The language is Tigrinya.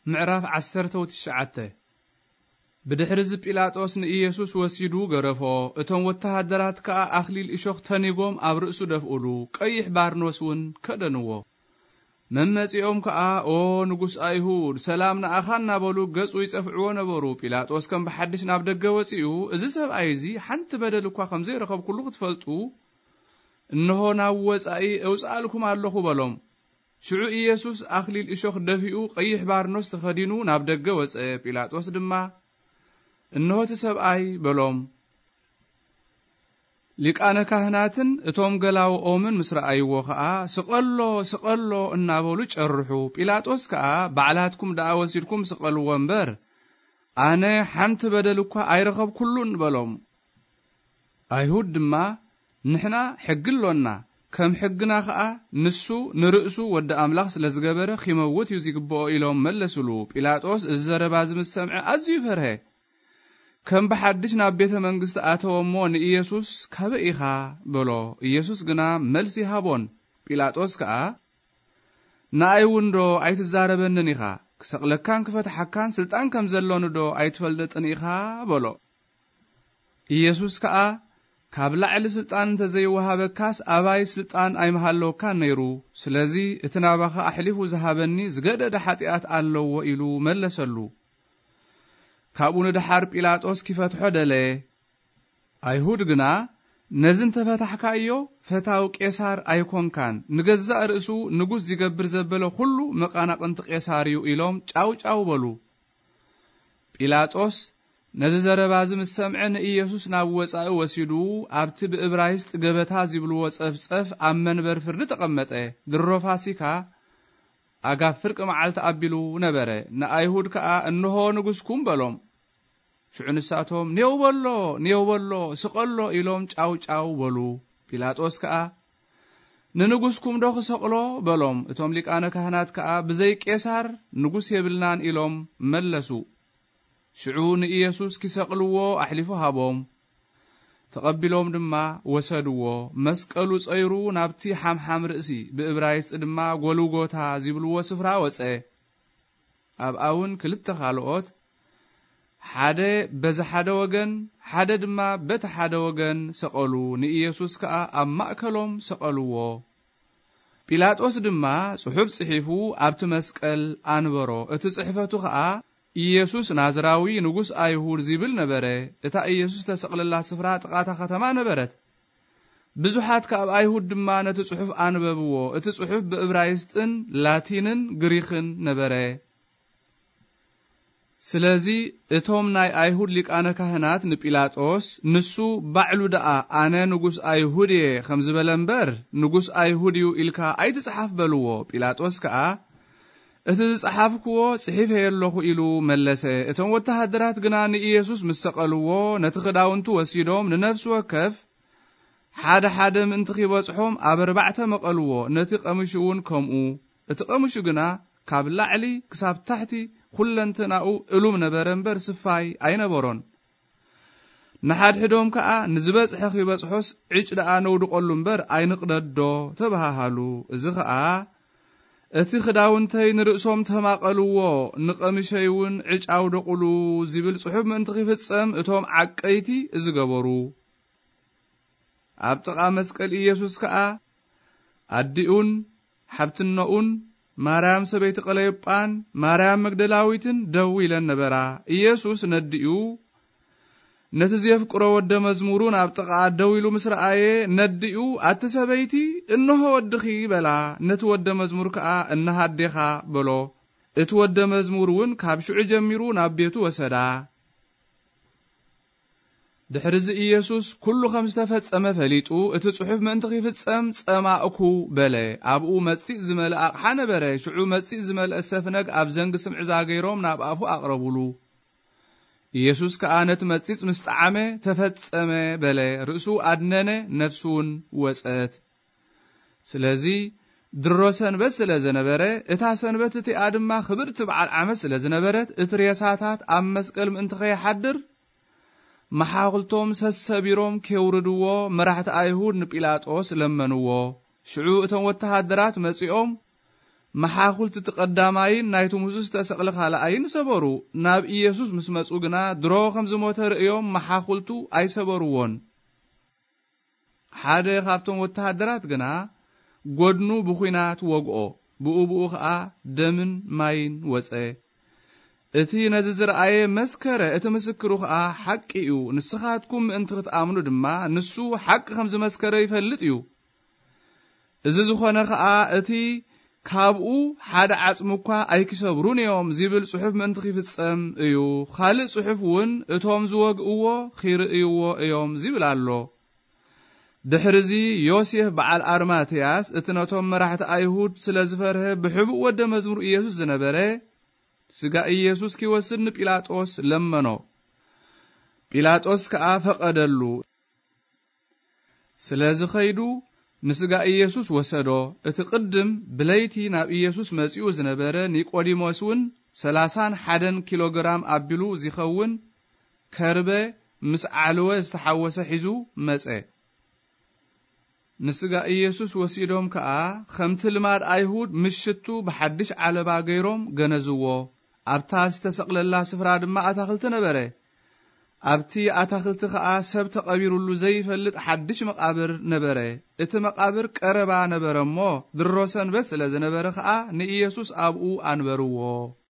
ምዕራፍ ዓሰርተ ወትሽዓተ። ብድሕሪ እዚ ጲላጦስ ንኢየሱስ ወሲዱ ገረፎ። እቶም ወተሃደራት ከኣ ኣኽሊል እሾኽ ተኒጎም ኣብ ርእሱ ደፍኡሉ፣ ቀይሕ ባርኖስ እውን ከደንዎ። መመጺኦም ከኣ፣ "ኦ ንጉስ ኣይሁድ፣ ሰላም ንኣኻ" እናበሉ ገጹ ይጸፍዕዎ ነበሩ። ጲላጦስ ከም ብሓድሽ ናብ ደገ ወጺኡ፣ "እዚ ሰብኣይ እዚ ሓንቲ በደል እኳ ከም ዘይረኸብኩሉ ክትፈልጡ፣ እንሆ ናብ ወጻኢ እውጽኣልኩም ኣለኹ" በሎም። ሽዑ ኢየሱስ ኣኽሊል እሾኽ ደፊኡ፣ ቀይሕ ባርኖስ ተኸዲኑ ናብ ደገ ወጸ። ጲላጦስ ድማ፣ "እንሆ እቲ ሰብኣይ" በሎም። ሊቃነ ካህናትን እቶም ገላውኦምን ምስ ረኣይዎ ኸኣ፣ "ስቐሎ፣ ስቐሎ" እናበሉ ጨርሑ። ጲላጦስ ከኣ፣ "ባዕላትኩም ደኣ ወሲድኩም ስቐልዎ እምበር፣ ኣነ ሓንቲ በደል እኳ ኣይረኸብኩሉን" በሎም። ኣይሁድ ድማ፣ "ንሕና ሕጊ ኣሎና፣ ከም ሕግና ኸኣ ንሱ ንርእሱ ወዲ ኣምላኽ ስለ ዝገበረ ኺመውት እዩ ዚግብኦ" ኢሎም መለሱሉ። ጲላጦስ እዚ ዘረባ እዚ ምስ ሰምዐ ኣዝዩ ፈርሀ። ከም ብሓድሽ ናብ ቤተ መንግስቲ ኣተወ እሞ ንኢየሱስ፣ "ካበይ ኢኻ?" በሎ። ኢየሱስ ግና መልሲ ሃቦን። ጲላጦስ ከኣ፣ "ንኣይ እውን ዶ ኣይትዛረበንን ኢኻ? ክሰቕለካን ክፈትሓካን ስልጣን ከም ዘሎኒ ዶ ኣይትፈልጥን ኢኻ?" በሎ። ኢየሱስ ከኣ፣ "ካብ ላዕሊ ስልጣን እንተ ዘይወሃበካስ፣ ኣባይ ስልጣን ኣይምሃለወካን ነይሩ። ስለዚ፣ እቲ ናባኻ ኣሕሊፉ ዝሃበኒ ዝገደደ ሓጢኣት ኣለዎ" ኢሉ መለሰሉ። ካብኡ ንደሓር ጲላጦስ ኪፈትሖ ደለየ። ኣይሁድ ግና፣ "ነዚ እንተ ፈታሕካዮ፣ ፈታው ቄሳር ኣይኮንካን፣ ንገዛእ ርእሱ ንጉስ ዚገብር ዘበለ ኹሉ መቓናቕንቲ ቄሳር እዩ" ኢሎም ጫው ጫው በሉ። ጲላጦስ ነዚ ዘረባ እዚ ምስ ሰምዐ፣ ንኢየሱስ ናብ ወጻኢ ወሲዱ፣ ኣብቲ ብእብራይስጥ ገበታ ዚብልዎ ጸፍጸፍ ኣብ መንበር ፍርዲ ተቐመጠ። ድሮ ፋሲካ፣ ኣጋፍ ፍርቂ መዓልቲ ኣቢሉ ነበረ። ንኣይሁድ ከኣ፣ "እንሆ ንጉስኩም" በሎም። ሽዑ ንሳቶም፣ "ኔው በሎ፣ ኔው በሎ፣ ስቐሎ" ኢሎም ጫው ጫው በሉ። ጲላጦስ ከኣ፣ "ንንጉስኩም ዶ ክሰቕሎ?" በሎም። እቶም ሊቃነ ካህናት ከኣ፣ "ብዘይ ቄሳር ንጉስ የብልናን" ኢሎም መለሱ። ሽዑ ንኢየሱስ ኪሰቕልዎ ኣሕሊፉ ሃቦም። ተቐቢሎም ድማ ወሰድዎ። መስቀሉ ጸይሩ ናብቲ ሓምሓም ርእሲ፣ ብእብራይስጥ ድማ ጎልጎታ ዚብልዎ ስፍራ ወጸ። ኣብኣ እውን ክልተ ካልኦት፣ ሓደ በዚ ሓደ ወገን፣ ሓደ ድማ በቲ ሓደ ወገን ሰቐሉ። ንኢየሱስ ከኣ ኣብ ማእከሎም ሰቐልዎ። ጲላጦስ ድማ ጽሑፍ ጽሒፉ ኣብቲ መስቀል ኣንበሮ። እቲ ጽሕፈቱ ኸኣ፣ "ኢየሱስ ናዝራዊ ንጉስ ኣይሁድ" ዚብል ነበረ። እታ ኢየሱስ ተሰቕለላ ስፍራ ጥቓ እታ ከተማ ነበረት። ብዙሓት ካብ ኣይሁድ ድማ ነቲ ጽሑፍ ኣንበብዎ። እቲ ጽሑፍ ብእብራይስጥን ላቲንን ግሪኽን ነበረ። ስለዚ እቶም ናይ ኣይሁድ ሊቃነ ካህናት ንጲላጦስ፣ "ንሱ ባዕሉ ደኣ 'ኣነ ንጉስ ኣይሁድ እየ' ከም ዝበለ እምበር፣ 'ንጉስ ኣይሁድ እዩ' ኢልካ ኣይትጽሓፍ" በልዎ። ጲላጦስ ከኣ፣ "እቲ ዝጸሓፍክዎ ጽሒፈዮ ኣለኹ" ኢሉ መለሰ። እቶም ወተሃደራት ግና ንኢየሱስ ምስ ሰቐልዎ፣ ነቲ ክዳውንቱ ወሲዶም ንነፍሲ ወከፍ ሓደ ሓደ ምእንቲ ኺበጽሖም ኣብ ኣርባዕተ መቐልዎ፣ ነቲ ቀምሹ እውን ከምኡ። እቲ ቀምሹ ግና ካብ ላዕሊ ክሳብ ታሕቲ ኵለንትናኡ እሉም ነበረ እምበር፣ ስፋይ ኣይነበሮን። ንሓድሕዶም ከኣ፣ "ንዝበጽሐ ኺበጽሖስ ዕጭ ደኣ ነውድቐሉ እምበር፣ ኣይንቕደዶ" ተባሃሃሉ። እዚ ኸኣ፣ "እቲ ኽዳውንተይ ንርእሶም ተማቐልዎ፣ ንቐምሸይ እውን ዕጭ ኣውደቑሉ" ዚብል ጽሑፍ ምእንቲ ኺፍጸም፣ እቶም ዓቀይቲ እዚ ገበሩ። ኣብ ጥቓ መስቀል ኢየሱስ ከኣ ኣዲኡን ሓብትነኡን ማርያም ሰበይቲ ቀለዮጳን ማርያም መግደላዊትን ደው ኢለን ነበራ። ኢየሱስ ነዲኡ፣ ነቲ ዜፍቅሮ ወደ መዝሙሩን ኣብ ጥቓኣ ደው ኢሉ ምስ ረኣየ፣ ነዲኡ፣ "ኣቲ ሰበይቲ፣ እንሆ ወድኺ" በላ። ነቲ ወደ መዝሙር ከኣ፣ "እንሃ ኣዴኻ" በሎ። እቲ ወደ መዝሙር እውን ካብ ሽዑ ጀሚሩ ናብ ቤቱ ወሰዳ። ድሕርዚ ኢየሱስ ኩሉ ከም ዝተፈጸመ ፈሊጡ፣ እቲ ጽሑፍ ምእንቲ ኺፍጸም፣ "ጸማእኩ" በለ። ኣብኡ መጺጽ ዝመልአ ኣቕሓ ነበረ። ሽዑ መጺጽ ዝመልአ ሰፍነግ ኣብ ዘንጊ ስምዒዛ ገይሮም ናብ ኣፉ ኣቕረቡሉ። ኢየሱስ ከኣ ነቲ መጺጽ ምስ ጠዓመ፣ "ተፈጸመ" በለ። ርእሱ ኣድነነ፣ ነፍሱ እውን ወጸት። ስለዚ ድሮ ሰንበት ስለ ዘነበረ፣ እታ ሰንበት እቲኣ ድማ ክብርቲ በዓል ዓመት ስለ ዝነበረት፣ እቲ ሬሳታት ኣብ መስቀል ምእንቲ ኸይሓድር፣ መሓውልቶም ሰሰቢሮም ኬውርድዎ መራሕቲ ኣይሁድ ንጲላጦስ ለመንዎ። ሽዑ እቶም ወተሃደራት መጺኦም፣ መሓኹልቲ እቲ ቀዳማይን ናይቲ ሙሱ ዝተሰቕለ ካልኣይን ሰበሩ። ናብ ኢየሱስ ምስ መጹ ግና ድሮ ከም ዝሞተ ርእዮም መሓኹልቱ ኣይሰበርዎን። ሓደ ካብቶም ወተሃደራት ግና ጎድኑ ብኹናት ወግኦ፣ ብኡ ብኡ ኸኣ ደምን ማይን ወጸ። እቲ ነዚ ዝረኣየ መስከረ፣ እቲ ምስክሩ ኸኣ ሓቂ እዩ። ንስኻትኩም ምእንቲ ክትኣምኑ ድማ ንሱ ሓቂ ከም ዝመስከረ ይፈልጥ እዩ። እዚ ዝኾነ ኸኣ እቲ ካብኡ ሓደ ዓጽሚ እኳ ኣይክሰብሩን እዮም ዚብል ጽሑፍ ምእንቲ ኺፍጸም እዩ። ኻልእ ጽሑፍ እውን እቶም ዝወግእዎ ኺርእይዎ እዮም ዚብል ኣሎ። ድሕርዚ ዮሴፍ በዓል ኣርማትያስ እቲ ነቶም መራሕቲ ኣይሁድ ስለ ዝፈርሀ ብሕቡእ ወደ መዝሙር ኢየሱስ ዝነበረ ስጋ ኢየሱስ ኪወስድ ንጲላጦስ ለመኖ። ጲላጦስ ከኣ ፈቐደሉ። ስለዚ ኸይዱ ንስጋ ኢየሱስ ወሰዶ። እቲ ቅድም ብለይቲ ናብ ኢየሱስ መጺኡ ዝነበረ ኒቆዲሞስ እውን ሰላሳን ሓደን ኪሎ ግራም ኣቢሉ ዚኸውን ከርበ ምስ ዓልወ ዝተሓወሰ ሒዙ መጸ። ንስጋ ኢየሱስ ወሲዶም ከኣ፣ ከምቲ ልማድ ኣይሁድ፣ ምስ ሽቱ ብሓድሽ ዓለባ ገይሮም ገነዝዎ። ኣብታ ዝተሰቕለላ ስፍራ ድማ ኣታኽልቲ ነበረ። ኣብቲ ኣታኽልቲ ኸኣ ሰብ ተቐቢሩሉ ዘይፈልጥ ሓድሽ መቓብር ነበረ። እቲ መቓብር ቀረባ ነበረ እሞ፣ ድሮ ሰንበት ስለ ዝነበረ ኸኣ ንኢየሱስ ኣብኡ ኣንበርዎ።